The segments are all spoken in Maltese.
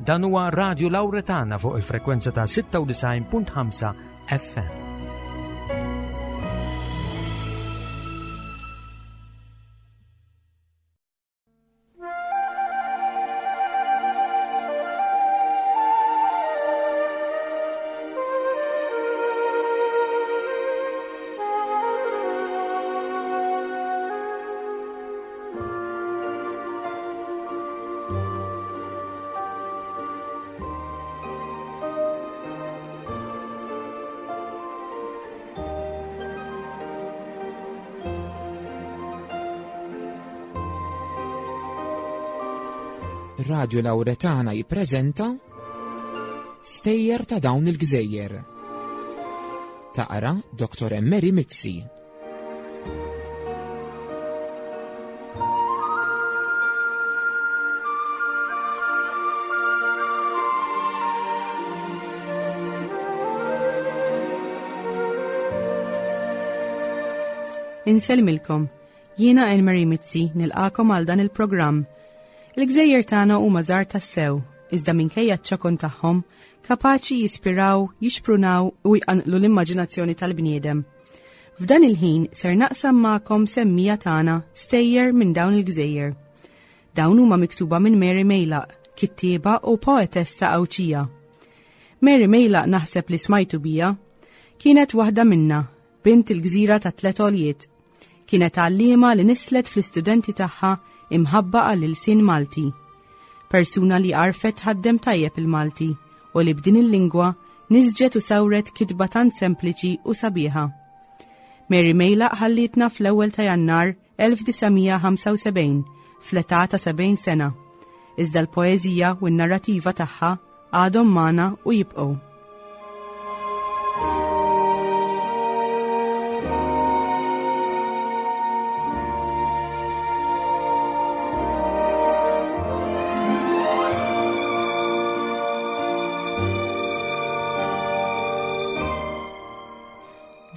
Dan huwa Radio Lauretana fuq il-frekwenza ta' 96.5 FM. Radio Lauretana jippreżenta Stejjer ta' dawn il-gżejjer. Taqra Dr. Emery Mizzi. Insellmilkom. Jiena Elmarie Mizzi nilqakom għal dan il-programm. Il-gżejjer tagħna huma żgħar tassew, iżda minkejja ċ-ċokon tagħhom, kapaċi jispiraw, jixprunaw u jqanqlu l-immaġinazzjoni tal-bniedem. F'dan il-ħin ser naqsam magħkom semmija tagħna stejjer minn dawn il-gżejjer. Dawn huma miktuba minn Mary Mejlaq, kittieba u poetessa Għawdxija. Mary Mejlaq naħseb li smajtu bija. Kienet waħda minna, bint il-gżira ta' tlet għoljiet. Kienet għalliema li nislet fl-istudenti tagħha imħabba għall-ilsien Malti. Persuna li għarfet tħaddem tajjeb il-Malti u li b'din il-lingwa nisġet u sawret kitba tant sempliċi u sabiħa. Mary Mejlaq ħallietna fl-ewwel ta' Jannar 1975 fl-età ta' 70 sena. Iżda l-poeżija u n-narrativa tagħha għadhom magħna u jibqgħu.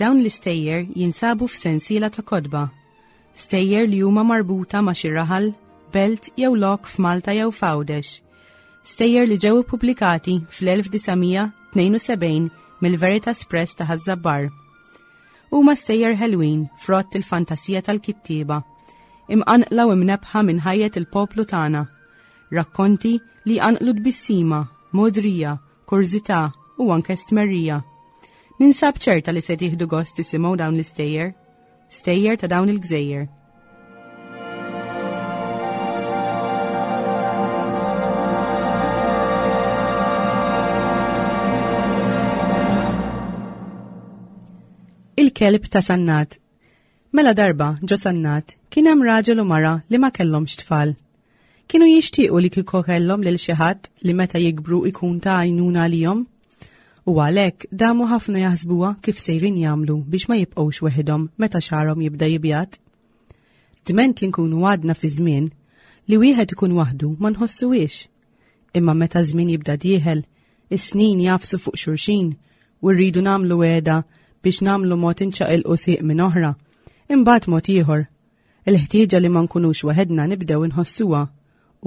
Dawn l-istejjer jinsabu f'sensiela ta' kotba. Stejjer li huma marbuta ma' xi raħal, belt jew lok f'Malta jew f'Għawdex. Stejjer li ġew ippubblikati fl-1972 mill-Veritas Press ta' Ħaż-Żabbar. Huma stejjer ħelwin frott il-fantasija tal-kittieba, imqanqla u imnebbħa minn ħajjet il-poplu tagħna. Rakkonti li jqanqlu tbissima, mogħdrija, kurżità u anke stmerrija. Ninsab ċerta li se tieħdu gost tisimgħu dawn l-istejjer. Stejjer ta' dawn il-gżejjer. Il-kelb ta' Sannat. Mela darba, ġo Sannat, kien hemm raġel u mara li ma kellhomx tfal. Kienu jixtiequ li kieku kellhom lil xi ħadd li meta jikbru ikun ta' għajnuna għalihom. U għalhekk damu ħafna jaħsbuha kif sejrin jagħmlu biex ma jibqgħux weħidhom meta xagħarhom jibda jibjad. Dment li nkunu għadna fi żmien li wieħed ikun waħdu ma nħossuhiex. Imma meta żmien jibda dieħel, is-snin jagħfsu fuq xulxin u rridu nagħmlu wegħda biex nagħmlu mod inċaqilqu sieq minn oħra, imbagħad mod ieħor. Il-ħtieġa li ma nkunux waħedna nibdew inħossuha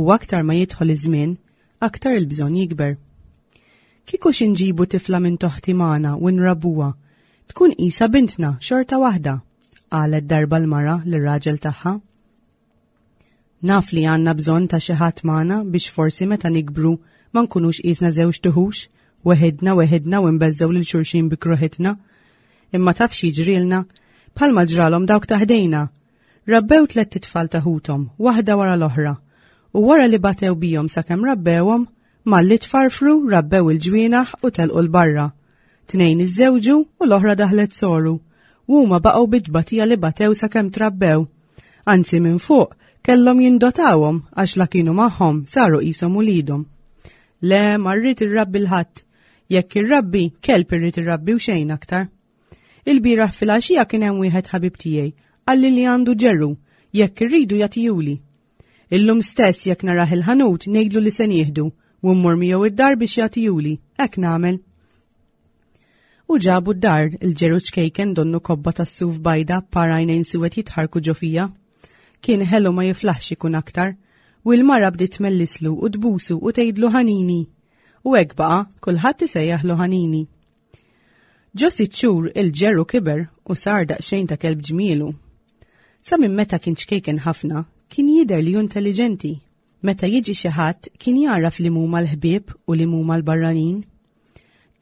u aktar ma jidħol iż-żmien, aktar il-bżonn jikber. Kieku xi nġibu tifla minn toħti magħna u nrabbuha, tkun qisha bintna xorta waħda, qalet darba l-mara lir-raġel tagħha. Naf li għandna bżonn ta' xi ħadd magħna biex forsi meta nikbru ma nkunux qisna żewġ tuħux, weħidna weħidna u nbeżżgħu lil xulxin bi kruħitna. Imma taf x'jiġrilna? Bħalma ġralhom dawk ta' ħdejna. Rabbew tlett itfal ta' ħuthom, waħda wara l-oħra. U wara li batew bihom sakemm rabbewhom, malli tfarfru rabbew il-ġwienaħ u telqu 'l barra. Tnejn iżżewġu u l-oħra daħlet soru. U huma baqgħu bit-tbatija li batew sakemm trabbew. Anzi minn fuq kellhom jindotawhom għax la kienu magħhom saru qishom uliedhom. Le, ma rrid irrabbi l-ħadd. Jekk irrabbi, kelb irrid irrabbi u xejn aktar. Il-bieraħ filgħaxija kien hemm wieħed ħabib tiegħi qalli li għandu ġerru, jekk irridu jagħtihuli. Illum stess jekk narah il-ħanut ngħidlu li se nieħdu u mmur miegħu id-dar biex jagħtihuli, hekk nagħmel. U ġabu d-dar il-ġeru ċkejken donnu kobba tas-suf bajda par għajnejn suwed jitħarku ġo fija. Kien ħelu ma jiflaħx ikun aktar. U l-mara bdiet tmellislu u tbusu u tgħidlu ħanini. U hekk baqa' kulħadd isejjaħlu ħanini. Ġo sitt xhur il-ġeru kiber u sar daqsxejn ta' kelb ġmielu. Sa minn meta kien ċkejken ħafna, kien jidher li hu intelliġenti. Meta jiġi xi ħadd kien jagħraf li huma l-ħbieb u li huma l-barranin.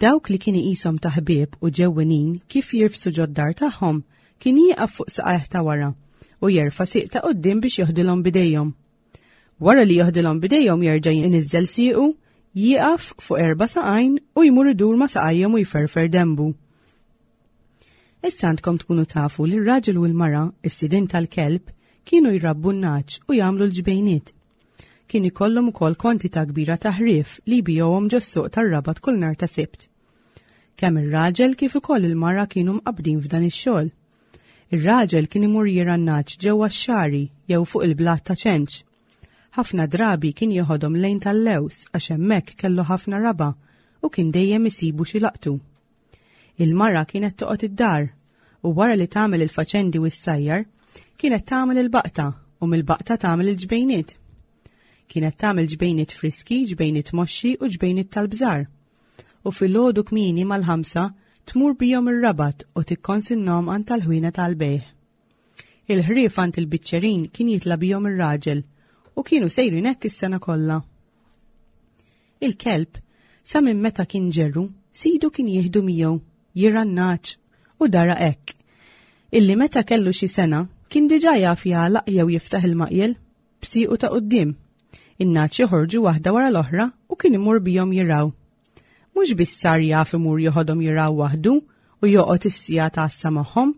Dawk li kien iqishom ta' ħbieb u ġewwinin kif jirfsu ġod-dar tagħhom kien jieqaf fuq saqajh ta' wara u jerfa' sieq ta' quddiem biex joħdilhom b'idejhom. Wara li joħdilhom b'idejhom jerġa' jniżżel siequ, jieqaf fuq erba' saqajn u jmur idur ma' saqajhom u jferfer denbu. Issa għandkom tkunu tafu li r-raġel u l-mara, is-sidien tal-kelb, kienu jrabbu n-nagħaġ u jagħmlu l-ġbejniet. Kien ikollhom ukoll kwantità kbira ta' ħrief li jbigħuhom ġos-suq tar-Rabat kull nhar ta' Sibt. Kemm ir-raġel kif ukoll il-mara kienu mqabbdin f'dan ix-xogħol. Ir-raġel kien imur jirgħa n-nagħaġ ġewwa x-xagħri jew fuq il-blat ta' Ċenċ. Ħafna drabi kien jeħodhom lejn tal-Lews għax hemmhekk kellu ħafna raba' u kien dejjem isibu xi laqtu. Il-mara kienet toqgħod id-dar u wara li tagħmel il-faċendi u s-sajjar, kienet tagħmel il-baqta u mill-baqta tagħmel il-ġbejniet. Kienet tagħmel ġbejniet friski, ġbejniet moxxi u ġbejniet tal-bżar. U filgħodu kmieni mal-ħamsa tmur bihom ir-Rabat u tikkonsinnhom għand tal-ħwienet għall-bejgħ. Il-ħrief għand il-biċċerin kien jitla' bihom ir-raġel u kienu sejrin hekk is-sena kollha. Il-kelb, sa minn meta kien ġerru, sidu kien jieħdu miegħu, jirgħa n-nagħaġ u dara hekk. Illi meta kellu xi sena kien diġà jaf jagħlaq jew jiftaħ il-maqjel b'siequ ta' quddiem. In-nagħaġ joħorġu waħda wara l-oħra u kien imur bihom jirgħu. Mhux biss sar jaf imur joħodhom jirgħu waħdu u joqgħod is-siegħa ta' għassa magħhom,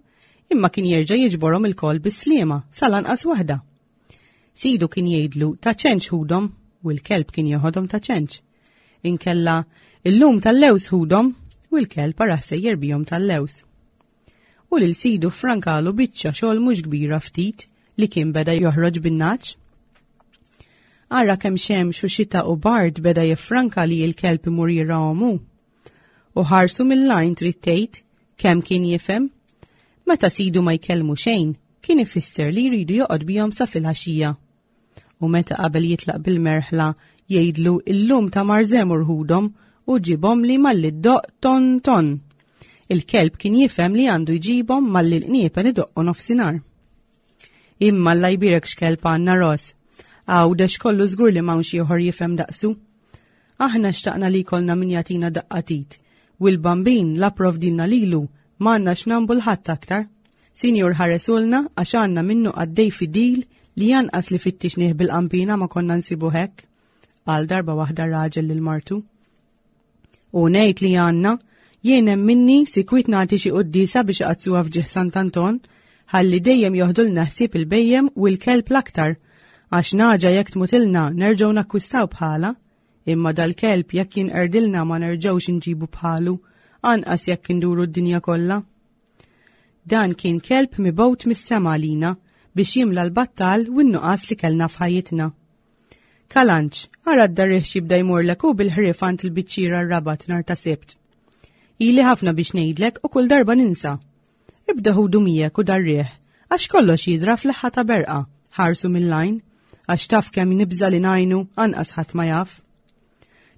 imma kien jerġa' jiġborhom ilkoll bis-sliema sal-anqas waħda. Sidu kien jgħidlu ta' ċenċ ħudhom u l-kelb kien joħodhom ta' ċenċ. Inkella illum tal-lews ħudhom u l-kelb arah sejjer bihom tal-lews. U lil sidu frankalu biċċa xogħol mhux kbira ftit li kien beda joħroġ bin-naċ. Ara kemm xemx u xita u bard beda jiffranka li l-kelb imur jirahom hu. U ħarsu mill-għajn trid tgħid kemm kien jifhem. Meta sidu ma jkellmu xejn, kien ifisser li jridu joqgħod bihom sa filgħaxija. U meta qabel jitlaq bil-merħla jgħidlu illum ta' marżem urħudhom u ġibhom li malli ddoqq ton ton. Il-kelb kien jifhem li għandu jġibhom malli l-qniepen idoqqu nofsinhar. Imma Alla jbierek x'kelb għandna Ross. Għawdex kollu żgur li m'hawnx ieħor jifhem daqsu. Aħna xtaqna li jkollna min jagħtina daqqa t'id, u l-Bambin la pprovdilna lilu m'għandna x'nambu l-ħadd aktar. Sinjur ħaresulna għax għandna minnu qaddej fidil li anqas li fittixnih bil-qanpiena ma konna nsibuh hekk, qal darba waħda raġel lil martu. U ngħid li għandna, jien hemm minni sikwit nagħti xi quddiesa biex iqaddsuha f'ġieħ Sant'Anton, ħalli dejjem joħdulna ħsieb il-bhejjem u l-kelb l-aktar, għax nagħġa jekk tmutilna nerġgħu nakkwistaw bħalha, imma dal-kelb jekk jinqerdilna ma nerġgħux inġibu bħalu, anqas jekk induru d-dinja kollha. Dan kien kelb mibgħut mis-sema għalina biex jimla l-battal u n-nuqqas li kellna f'ħajjitna. Kalanċ, ara d-darriħ x'jibda jmurlek u bil-ħrief għand il-biċċiera r-Rabat nhar ta' Sibt. Ili ħafna biex ngħidlek u kull darba ninsa. Ibda ħudu miegħek u darriħ, għax kollox jidra fl-leħħa ta' berqa, ħarsu mill-għajn, għax taf kemm nibża' li ngħajnu anqas ħadd ma jaf.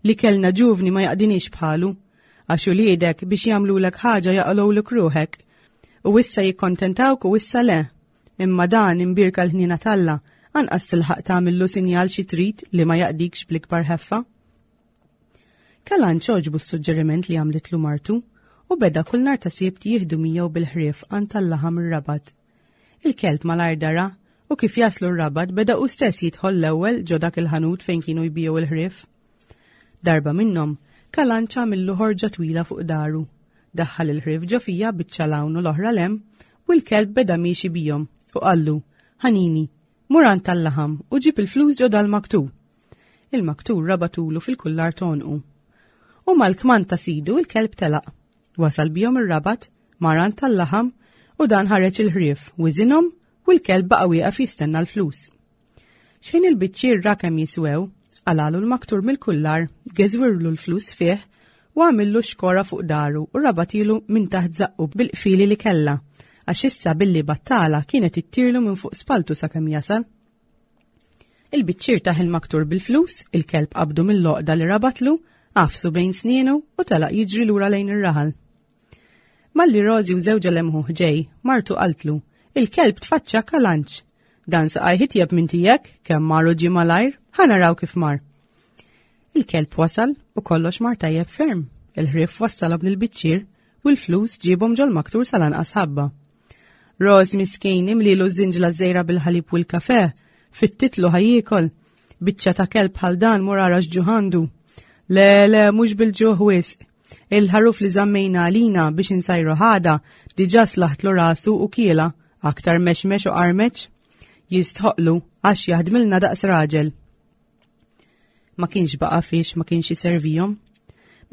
Li kellna ġuvni ma jaqdiniex bħalu, għax uliedek biex jagħmlulek ħaġa jaqalgħulek ruħek. U issa jikkontentawk u issa le. Imma dan imbierka l-ħniena t'Alla, anqas tilħaq tagħmillu sinjal xi trid li ma jaqdikx bl-ikbar ħeffa. Kalanċ għoġbu s-suġġeriment li għamlitlu martu u beda kull nhar ta' Sibt jieħdu miegħu bil-ħrief għand tal-laħam ir-Rabat. Il-kelb malajr dara u kif jaslu r-Rabat beda hu stess jidħol l-ewwel ġo dak il-ħanut fejn kienu jbigħu l-ħrief. Darba minnhom, Kalanċ għamillu ħorġa twila fuq daru. Daħħal il-ħrief ġo fija biċċa 'l hawn u l-oħra 'l hemm u l-kelb beda miexi bihom u qallu, Ħanini, mur għand tal-laħam u ġib il-flus ġo dal-maktur. Il-maktur rabatulu fil-kullar t'għonqu. U mal-kmand ta' sidu il-kelb telaq. Wasal bihom ir-Rabat, mar għand tal-laħam u dan ħareġ il-ħrief, wiżinhom u l-kelb baqa' wieqaf jistenna l-flus. Xejn il-biċċier ra kemm jiswew, qalalu l-maktur mill-kullar, geżwirlu l-flus fih u għamillu xkora fuq daru u rabatilu minn taħt żaqqu bil-qfieli li kellha, għax issa billi battala kienet ittirlu minn fuq spaltu sakemm jasal. Il-biċċier tah il-maktur bil-flus, il-kelb qabdu mill-għoqda li rabatlu, għafsu bejn snienu u telaq jiġri lura lejn ir-raħal. Malli Rożi u żewġha lemħuh ġej, martu qaltlu, il-kelb tfaċċa kalanċ. Dan saqajh itjeb minn tiegħek, kemm mar u ġie malajr, ħa naraw kif mar. Il-kelb wasal u kollox mar tajjeb ferm. Il-ħrief wassalhom lill-biċċier u l-flus ġiebhom ġol-maktur sal-anqas ħabba. Roż miskin imlilu ż-żinġla żejra bil-ħalib u l-kafe, fit-titlu ħajjiekol. Biċċa ta' kelb bħal dan mur ara x'ġuħandu. Le, le, mhux bil-ġuħ wisq. Il-ħaruf li żammejna għalina biex insajru ħada diġà slaħtlu rasu u kiela, aktar mexmex u qarmeċ. Jistħoqlu għax jaħdmilna daqs raġel. Ma kienx baqa' fiex ma kienx iservihom.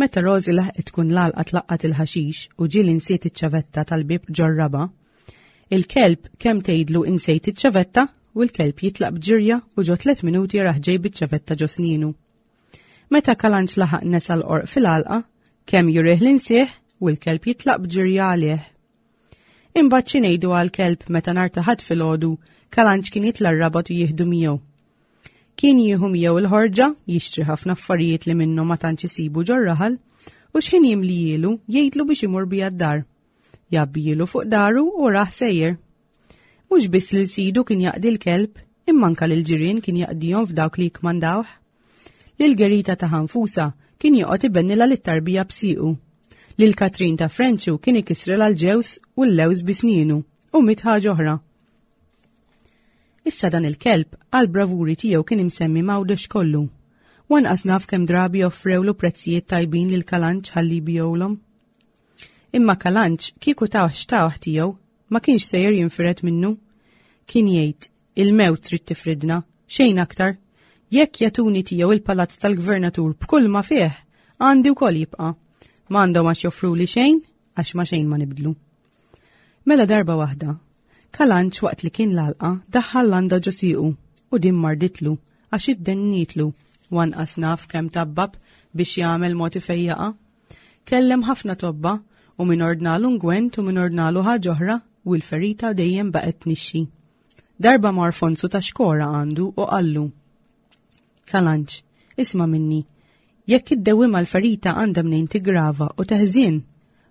Meta Rosie laħqet tkun l-għalqa tlaqqat il-ħaxix u ġieli nsiet iċ-ċavetta tal-bieb ġor-raba', il-kelb kemm tgħidlu insejt iċ-ċavetta u l-kelb jitlaq b'ġirja u ġo tlet minuti jarah ġej biċ-ċavetta ġo snienu. Meta Kalanċ laħaq nesa l-qorq fil-għalqa, kemm jurih l-insieħ u l-kelb jitlaq b'ġirja għalih. Imbagħad xi ngħidu għall-kelb meta nhar ta' Ħadd filgħodu Kalanċ kien jitla' r-rabat u jieħdu miegħu. Kien jieħu miegħu il-ħorġa, jixtri ħafna affarijiet li minnhom ma tantx isibu ġor-raħal, u x'ħin jimlijielu jgħidlu biex imur bija d-dar. Jgħabbijielu fuq daru u rah sejjer. Mhux biss lil sidu kien jaqdi l-kelb, imma anka lil ġirien kien jaqdihom f'dawk li jikkmandawh. Lil Gerita ta' Ħanfusa kien joqgħod ibennilha lit-tarbija b'siequ. Lil Katrin ta' Frenċu kien ikissrilha l-ġewż u l-lewż bi snienu u mitt ħaġa oħra. Issa dan il-kelb għal bravuri tiegħu kien imsemmi m'Għawdex kollu. U anqas naf kemm drabi offrewlu prezzijiet tajbin lil Kalanċ ħalli jbigħulhom. Imma Kalanċ kieku tawh x'tawh tiegħu ma kienx sejjer jinfired minnu. Kien jgħid, il-mewt trid tifridna, xejn aktar. Jekk jagħtuni tiegħu il-palazz tal-gvernatur b'kull ma fih, għandi wkoll jibqa'. M'għandhom għax joffruli xejn, għax ma xejn ma nibdlu. Mela darba waħda, Kalanċ waqt li kien l-għalqa daħħal landa ġo siequ u din marditlu għax iddennitlu u anqas naf kemm tabbab biex jagħmel mod ifejjaqha. Kellem ħafna tobba u min ordnalu ngwent u min ordnalu ħaġa oħra u l-ferita dejjem baqgħet tnixxi. Darba mar Fonzu ta' xkora għandu u qallu. Kalanċ, isma' minni, jekk iddewwimha l-ferita għandha mnejn tiggrava u teħżien,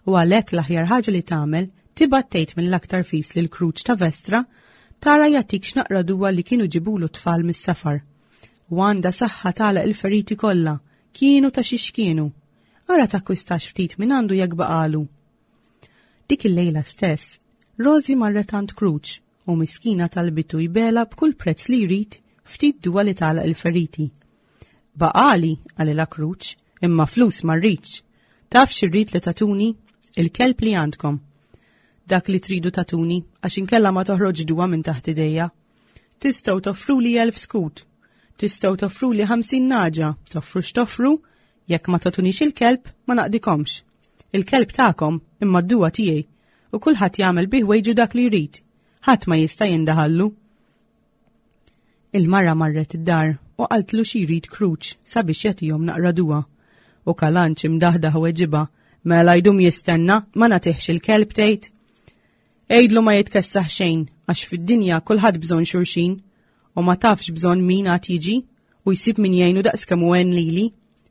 u għalhekk l-aħjar ħaġa li tagħmel tibgħat tgħid mill-aktar fis lil Kruċ ta' Vestra tara jagħtik x'naqra duwa li kienu ġibulu t-tfal mis-safar. U għandha saħħa tagħlaq il-feriti kollha, kienu ta' xi x'kienu. Ara takkwistax ftit minn għandu jekk baqalu. Dik il-lejla stess, Rosie marret għand Kruċ u miskina talbitu jbegħlha b'kull prezz li jrid ftit duwa li tagħlaq il-feriti. Baqali, qalilha Kruċ, imma flus ma rridx. Taf xi rrid li tagħtuni? Il-kelb li għandkom. Dak li tridu tagħtuni, għax inkella ma toħroġ duwa minn taħt idejja. Tistgħu toffruli 1000 skut. Tistgħu toffruli 50 naġa, toffru x'toffru, jekk ma tagħtunix il-kelb ma naqdikomx. Il-kelb tagħkom imma d-duwa tiegħi u kulħadd jagħmel bih wejġu dak li jrid. Ħadd ma jista' jindaħallu. Il-mara marret id-dar u qaltlu xi jrid Kruċ sabiex jagħtihom naqra duwa. U Kalanċ imdaħdaħ weġibha, mela jdum jistenna ma nagħtihx il-kelb tgħid. Għidlu ma jitkessaħ xejn għax fid-dinja kulħadd bżonn xulxin u ma tafx bżonn min għad jiġi u jsib min jgħinu daqs kemm hu għen lili.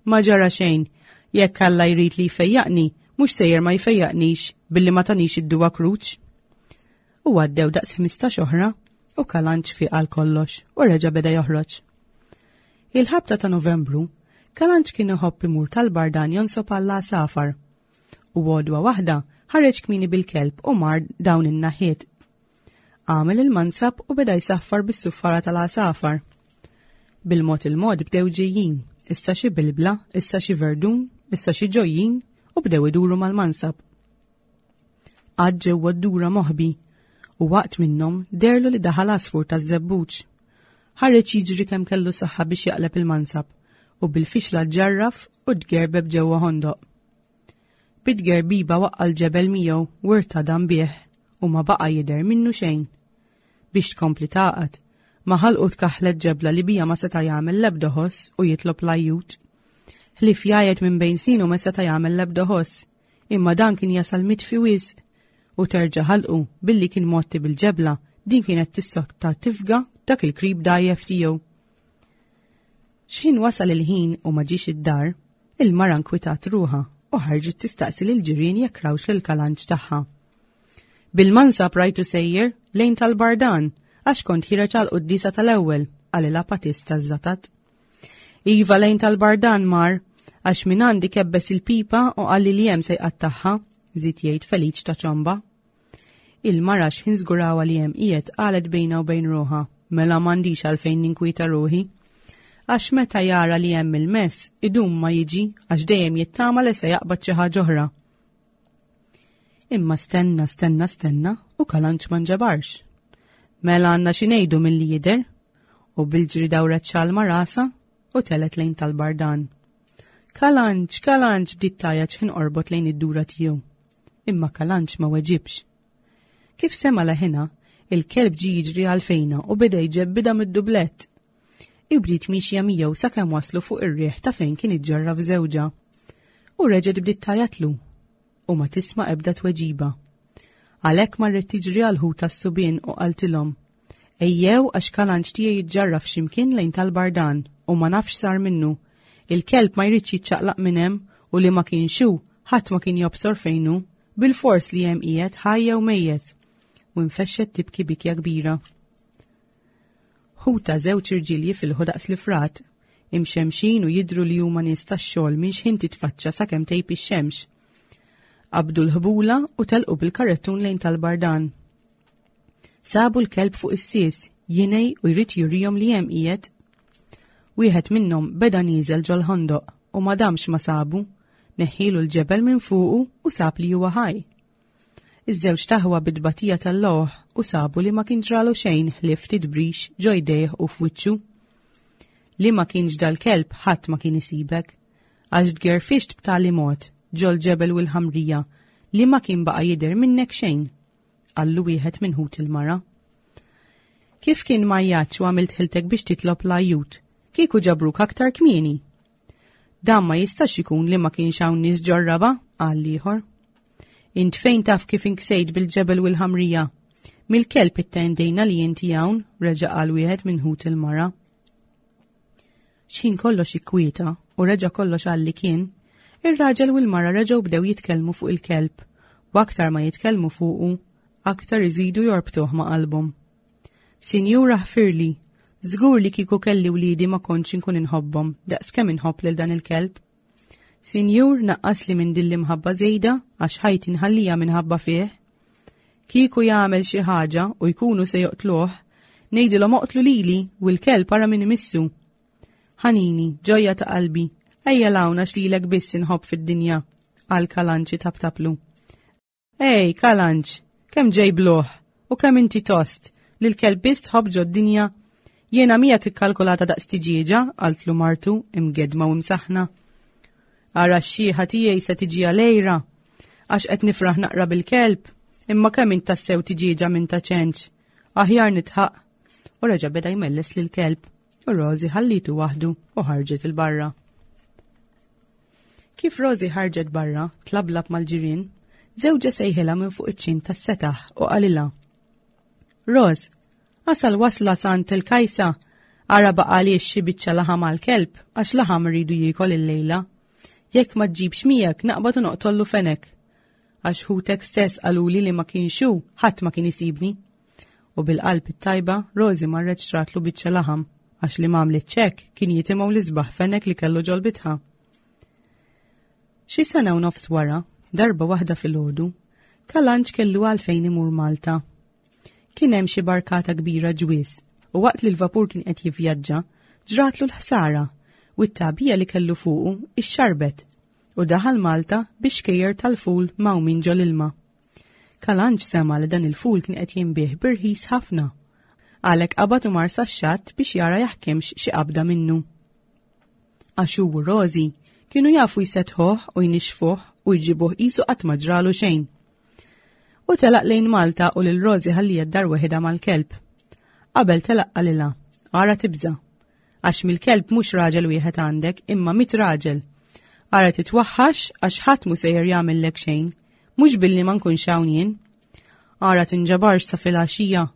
Ma ġara xejn. Jekk Alla jrid li jfejjaqni, mhux sejjer ma jfejjaqnix billi ma tanix id-duwa Kruċ. U għaddew daqs 15 oħra u Kalanċ fieq għal kollox u reġa' beda joħroġ. Il-ħabta ta' Novembru, Kalanċ kien iħobb imur tal-Bardan jonsob għall-għasafar. U għodwa waħda ħareġ kmieni bil-kelb u mar dawn in-naħiet. Għamel il-mansab u beda jsaffar bis-suffara tal-għasafar. Bil-mod il-mod bdew ġejjin, issa xi bilbla, issa xi verdun, issa xi ġojjin u bdew iduru mal-mansab. Għad ġewwa d-dura moħbi u waqt minnhom derlu li daħal għasfur taż-żebbuġ. Ħareġ jiġri kemm kellu saħħa biex jaqleb il-mansab u bil-fixla ġġarraf u tgerbeb ġewwa ħondoq. Bit-tgerbiba waqqa' l-ġebel miegħu u rtadam bih u ma baqa' jidher minnu xejn. Biex tkompli tagħqad, ma' ħalqu tkaħħlet ġebla li bija ma seta' jagħmel l-ebda ħoss u jitlob l-ajjut. Ħlief jgħajjet minn bejn snienu ma seta' jagħmel l-ebda ħoss, imma dan kien jasal mitfi wisq u terġa' ħalqu billi kien mgħotti bil-ġebla din kienet tissokta tifga dak il-krib dgħajjef tiegħu. X'ħin wasal il-ħin u ma ġiex id-dar, il-mara nkwitat ruħha u ħarġet tistaqsi lill-ġirien jekk rawx lill-kalanġ tagħha. Bil-mansab rajtu sejjer lejn tal-Bardan għax kont ħireġ għal quddiesa tal-ewwel, qalilha Patist taż-Żatat. Iva lejn tal-Bardan mar għax minn għandi kebbes il-pipa u qalli li hemm se jqattagħha, żied jgħid Feliċ ta' Ċomba. Il-mara x'ħin żgurawha li hemm qiegħed qalet bejnha u bejn ruħha, mela m'għandix għalfejn ninkwieta ruħi. Għax meta jara li hemm il-mess, idum ma jiġi għax dejjem jittama li se jaqbad xi ħaġa oħra. Imma stenna, stenna, stenna u kalanċ ma nġabarx. Mela għandna xi ngħidu milli jidher u bil-ġri dawret xalma rasa u telet lejn tal-bardan. Kalanċ, kalanċ bdiet tgħajjat x'ħin qorbot lejn id-dura tiegħu. Imma Kalanċ ma weġibx. Kif sema leħinha, il-kelb ġie jiġri għal fejna u beda jġebbidha mid-dublett. Hi bdiet miexja miegħu sakemm waslu fuq ir-riħ ta' fejn kien iġġarraf żewġha. U reġgħet bdiet tgħajjatlu u ma tisma' ebda tweġiba. Għalhekk marret tiġri għal ħutha s-subien u qaltilhom, Ejjew għax Kalanċ tiegħi jiġġarraf x'imkien lejn tal-Bardan u ma nafx x'sar minnu. Il-kelb ma jridx jiċċaqlaq minn hemm u li ma kienx hu, ħadd ma kien jobsor fejn hu, bilfors li hemm qiegħed ħaj jew mejjet. U nfexxet tibki bikja kbira. Ħutha żewġ irġiel jifilħu daqs l-ifrat, imxemmxin u jidhru li huma nies tax-xogħol minn x'ħin titfaċċa sakemm tgħib ix-xemx. Qabdu l-ħbula u telqu bil-karrettun lejn tal-Bardan. Sabu l-kelb fuq is-sies, jinej u jrid jurihom li hemm qiegħed. Wieħed minnhom beda nieżel ġol-ħondoq u ma damx ma sabu, neħħilu l-ġebel minn fuqu u sab li huwa ħaj. Iż-żewġ taħwa bit-tbatija tal-logħ u sabu li ma kien ġralu xejn ħlief ftit brix ġo jdejh u f'wiċċu. Li ma kienx dal-kelb ħadd ma kien isibek, għax tgerfixt b'tali mod ġol-ġebel u l-ħamrija li ma kien baqa' jidher minnek xejn. qallu wieħed minn ħut il-mara. Kif kien m'għajjatx u għamilt ħiltek biex titlob l-ajjut, kieku ġabruk aktar kmieni. Dan ma jistax ikun li ma kienx hawn nies ġorraba, qal l-ieħor. Int fejn taf kif inksejt bil-ġebel u l-ħamrija? Mill-kelb ittendejna li inti hawn, reġa' qal wieħed minn ħut il-mara. X'ħin kollox ikkwieta u reġa' kollox għal li kien, ir-raġel u l-mara reġgħu bdew jitkellmu fuq il-kelb u aktar ma jitkellmu fuqu, aktar iżidu jorbtuh ma' qalbhom. Sinjura ħfirli, żgur li kieku kelli wliedi ma kontx inkun inħobbhom daqs kemm inħobb lil dan il-kelb. Sinjur naqqasli minn din l-imħabba żejda għax ħajti nħallija minħabba fih. Kieku jagħmel xi ħaġa u jkunu se joqtluh, ngħidilhom oqtlu lili u l-kelb ara min imissu. Ħanini, ġojja ta' qalbi, ejja 'l hawn għax lilek biss inħobb fid-dinja, qal Kalanċi taptaplu. Ej, Kalanċ, kemm ġej bluh u kemm inti tost li l-kelb biss tħobb ġod-dinja. Jiena miegħek ikkalkulata daqs tiġieġa, qaltlu martu imgedma u imsaħħna. Ara x-xieħa tiegħi se tiġi għalejra għax qed nifraħ naqra bil-kelb, imma kemm int tassew tiġieġa minn ta' ċenċ. Aħjar nitħaq. U reġa' beda jmelles lill-kelb u Rosie ħallitu waħdu u ħarġet il-barra. Kif Rosie ħarġet barra, tlablab mal-ġirien, żewġha sejħilha minn fuq iċ-ċint tas-setaħ u qalilha. Ros, asal wasla sant il-kajsa, ara baqaliex xi biċċa laħam għall-kelb għax laħam rridu jiekol illejla. Jekk ma ġġibx miegħek naqbad u noqtollu fenek. Għax ħutek stess qaluli li ma kienx hu, ħadd ma kien isibni. U bil-qalb it-tajba, Rosie marret xtratlu biċċa laħam għax li m'għamlitx hekk kien jitimgħu l-isbaħ fenek li kellu ġol-bitħa. Xi sena u nofs wara, darba waħda filgħodu, Kalanġ kellu għalfejn imur Malta. Kien hemm xi barkata kbira ġwies u waqt li l-vapur kien qed jivvjaġġa, ġratlu l-ħsara u t-tagħbija li kellu fuqu ixxarbet u daħal Malta bi xkejjer tal-ful mgħawmin ġol-ilma. Kalanġ sema' li dan il-ful kien qed jinbiegħ bi rħis ħafna. Għalhekk qabad u mar sax-xatt biex jara jaħkimx xi qabda minnu. Għax hu u Rosie kienu jafu jseddħuh u jnixxfuh u jġibuh qisu qatt ma ġralu xejn. U telaq lejn Malta u lil Rosie ħallija d-dar weħidha mal-kelb. Qabel telaq qalilha, ara tibża'. Għax mill-kelb mhux raġel wieħed għandek imma mit raġel. Ara titwaħħax għax ħadd mhu sejjer jagħmillek xejn, mhux billi ma nkunx hawn jien. Ara tinġabarx sa filgħaxija.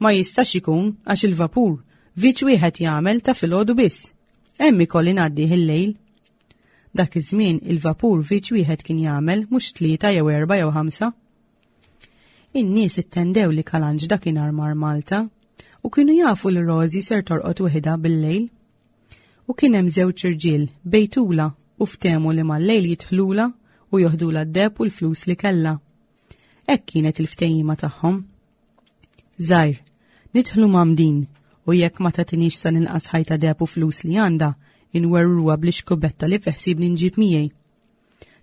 Ma jistax ikun għax il-vapur viċ wieħed jagħmel ta' filgħodu biss. Hemm ikolli ngħaddih il-lejl. Dak iż-żmien il-vapur viċ wieħed kien jagħmel mhux tlieta jew erba' jew ħamsa. In-nies ittendew li Kalanġ dakinhar mar Malta u kienu jafu li Rosie ser torqod weħidha bil-lejl. U kien hemm żewġ irġiel bejtula u ftehmu li mal-lejl jidħlula u joħdula d-deheb u l-flus li kellha. Hekk kienet il-ftehima tagħhom. Żgħir, nidħlu mgħammdin u jekk ma tagħtinix sa ninqas ħajta deheb u flus li għandha, inwerwruha bl-ixkubetta li fi ħsiebni nġib miegħi.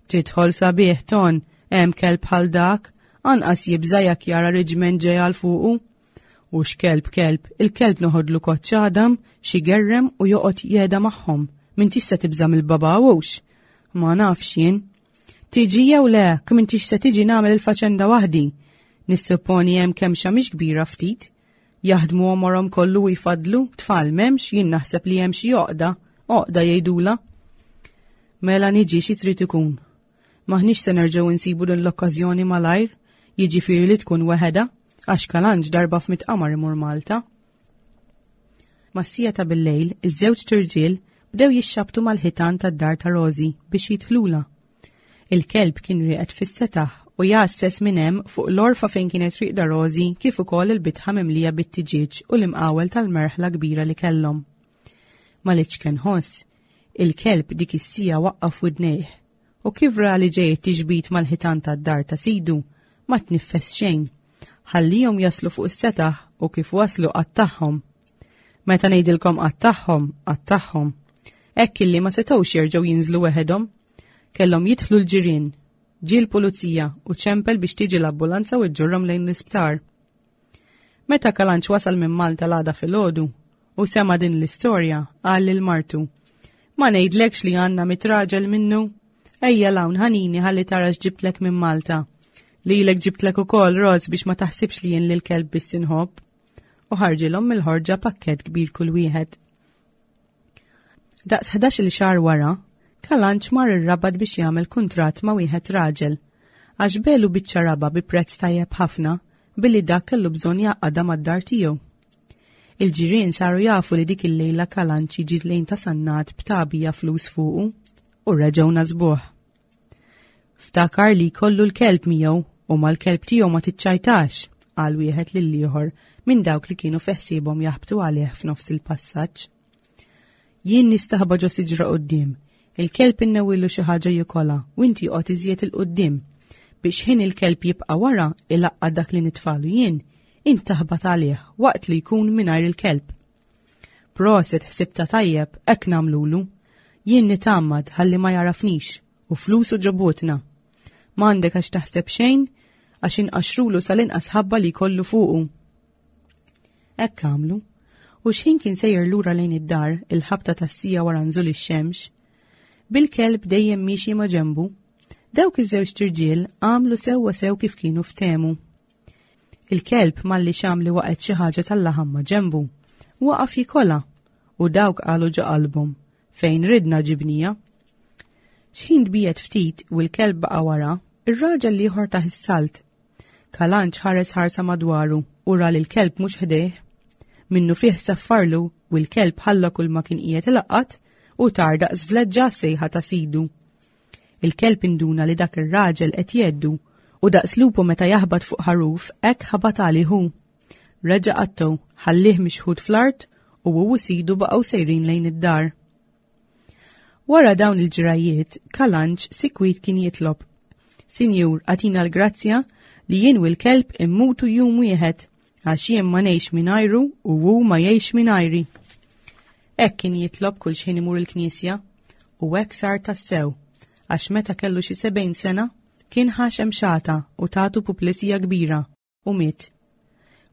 Tidħol sabiħ ton, hemm kelb bħal dak, anqas jibża' jekk jara riġment ġej għal fuqu. U x'kelb kelb, il-kelb noħodlu koċċ għadam, xi gerrem u joqgħod jehda magħhom. M'intix se tibża' mill-baba hux? Ma nafx jien. Tiġi jew le, kemm intix se tiġi nagħmel il-faċenda waħdi. Nissupponi hemm kemxa mhix kbira ftit. Jaħdmu għomorhom kollu u jfaddlu, tfal m'hemmx, jien naħseb li hemm xi għoqda, għoqda jgħidulha. Mela niġi xi trid ikun. M'aħniex se nerġgħu nsibu din l-okkażjoni malajr, jiġifieri li tkun weħedha, għax Kalanġ darba f'mitt qamar imur Malta. Mas-siegħa ta' bil-lejl, iż-żewġt irġiel bdew jixxabtu mal-ħitan tad-dar ta' Rosie biex jidħlulha. Il-kelb kien rieqed fis-setaħ u jgħasses minn hemm fuq l-għorfa fejn kienet rieqda Rosie kif ukoll il-bitħa mimlija bit-tiġieġ u l-imqawel tal-merħla kbira li kellhom. Mal-iċken ħoss, il-kelb dik is-siegħa waqqaf widnejh u kif ra li ġej it-tixbit mal-ħitan tad-dar ta' sidu, ma tniffes xejn. Ħallihom jaslu fuq is-setaħ u kif waslu qattagħhom. Meta ngħidilkom qattagħhom, qattagħhom. Hekk illi ma setgħux jerġgħu jinżlu weħedhom. Kellhom jidħlu l-ġirien. Ġie l-pulizija u ċempel biex tiġi l-ambulanza u ġġorrhom lejn l-isptar. Meta Kalanċ wasal minn Malta l-għada filgħodu u sema' din l-istorja, qal lil martu, Ma ngħidlekx li għandna mit raġel minnu? Ejja 'l hawn ħanini ħalli tara x'ġibtlek minn Malta. Lilek ġibtlek ukoll Roz biex ma taħsibx li jien lil kelb biss inħobb. U ħarġilhom mill-ħorġa pakkett kbir kull wieħed. Daqs 11-il xahar wara, Kalanċ mar ir-Rabat biex jagħmel kuntratt ma' wieħed raġel, għax belu biċċa raba' bi prezz tajjeb ħafna billi dak kellu bżonn jgħaqqadha mad-dar tiegħu. Il-ġirien saru jafu li dik il-lejla Kalanċ jiġi lejn ta' Sannat b'tagħbija flus fuqu u reġgħu nasbuh. Ftakar li jkollu l-kelb miegħu u mal-kelb tiegħu ma tiċċajtax, qal wieħed lill-ieħor minn dawk li kienu fi ħsiebhom jaħbtu għalih f'nofs il-passaġġ. Jien nistaħba ġo siġra quddiem, il-kelb innewwilu xi ħaġa jikolha u inti oqgħod iżjed 'il quddiem. Biex ħin il-kelb jibqa' wara ilaqqa' dak li nitfalu jien, int taħbat għalih waqt li jkun mingħajr il-kelb. Proset ħsibtha tajjeb, hekk nagħmlulu. Jien nitgħammad ħalli ma jagħrafnix u flusu ġo butna. M'għandek għax taħseb xejn għax inqaxxrulu sal-inqas ħabba li jkollu fuqu. Hekk għamlu. U x'ħin kien sejjer lura lejn id-dar il-ħabta tas-sija wara nżul ix-xemx, bil-kelb dejjem miexi ma' ġenbu, dawk iż-żewġt irġiel għamlu sewwa sew kif kienu ftehmu. Il-kelb malli xam li waqgħet xi ħaġa tal-laħam ma' ġenbu, waqaf jikolha u dawk qalu ġo qalbhom, fejn ridna ġibnija. X'ħin tbiegħed ftit u l-kelb baqa' wara, ir-raġel l-ieħor tah is-salt. Kalanċ ħares ħarsa madwaru u ra li l-kelb mhux ħdejh. Minnufih saffarlu u l-kelb ħalla kull ma kien qiegħed ilaqqat u tar daqs vleġġa għas-sejħa ta' sidu. Il-kelb induna li dak ir-raġel qed jgħeddu u daqs lupu meta jaħbat fuq ħaruf hekk ħabat għalih hu. Reġa' qattgħu, ħallieh mixħut fl-art u hu u sidu baqgħu sejrin lejn id-dar. Wara dawn il-ġrajiet, Kalanġ sikwit kien jitlob. Sinjur, agħtina l-grazzja li jien u l-kelb immutu jum wieħed, għax jien ma ngħix mingħajru u hu ma jgħix mingħajri. Hekk kien jitlob kull xħin imur il-knisja, u hekk sar tassew, għax meta kellu xi sebgħin sena, kien ħa xemxata u tatu puplisija kbira. u miet.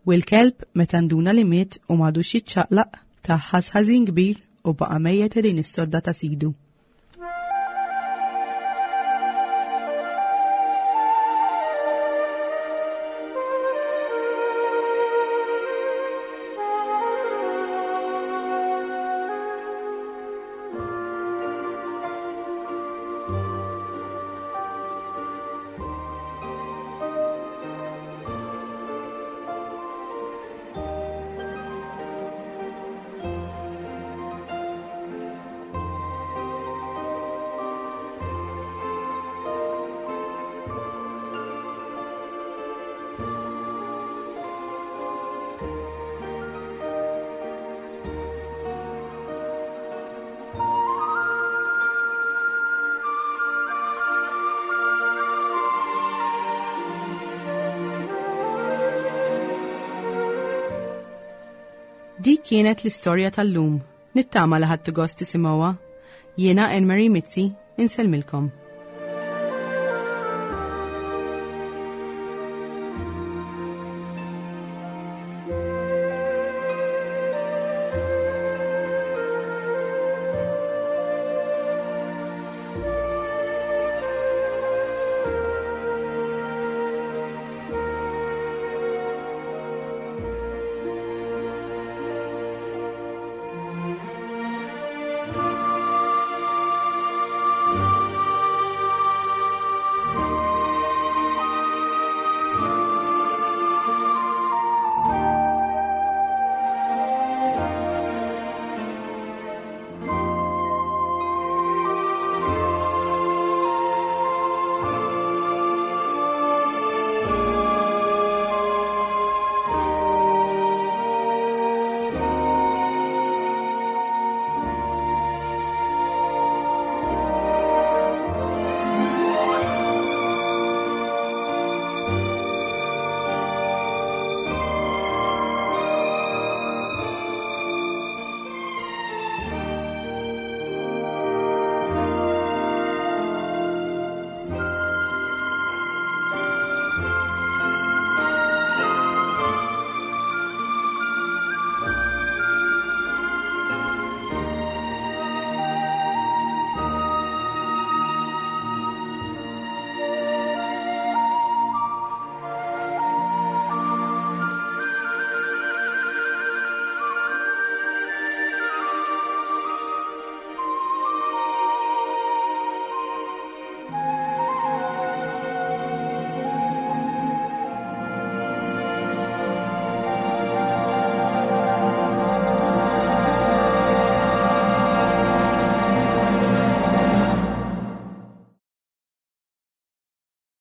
U l-kelb, meta nduna li miet u m'għadux jiċċaqlaq, tah ħass ħażin kbir u baqa' mejjet ħdejn is-sodda ta' sidu. Dik kienet l-istorja tal-lum. Nittama li ħadtu gost tisimgħuha. Jiena Anne Marie Mizzi, insellmilkom.